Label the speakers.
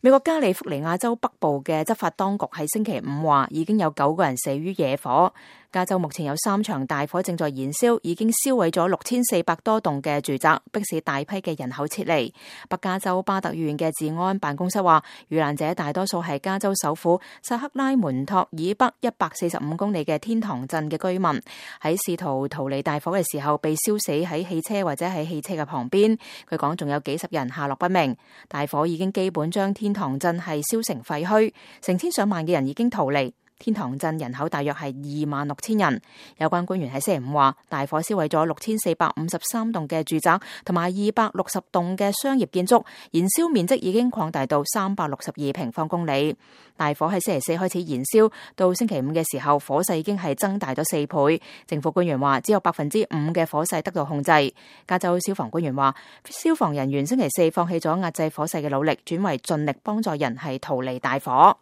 Speaker 1: 美國加利福尼亞州北部嘅執法當局喺星期五話，已經有9個人死於野火。加州目前有3場大火正在燃燒，已經燒毀咗6400多棟嘅住宅，迫使大批嘅人口撤離。北加州巴特縣嘅治安辦公室話，遇難者大多數係加州首府薩克拉門托以北145公里嘅天堂鎮嘅居民，喺試圖逃離大火嘅時候被燒死喺汽車或者喺汽車嘅旁邊。佢講仲有幾十人下落不明。大火已經基本將天堂鎮係燒成廢墟，成千上萬嘅人已經逃離。天堂鎮人口大約係26000人。有關官員喺星期五話，大火燒毀咗6453棟嘅住宅同埋260棟嘅商業建築，燃燒面積已經擴大到362平方公里。大火喺星期4開始燃燒，到星期五嘅時候，火勢已經係增大咗4倍。政府官員話，只有5%嘅火勢得到控制。加州消防官員話，消防人員星期4放棄咗壓制火勢嘅努力，轉為盡力幫助人係逃離大火。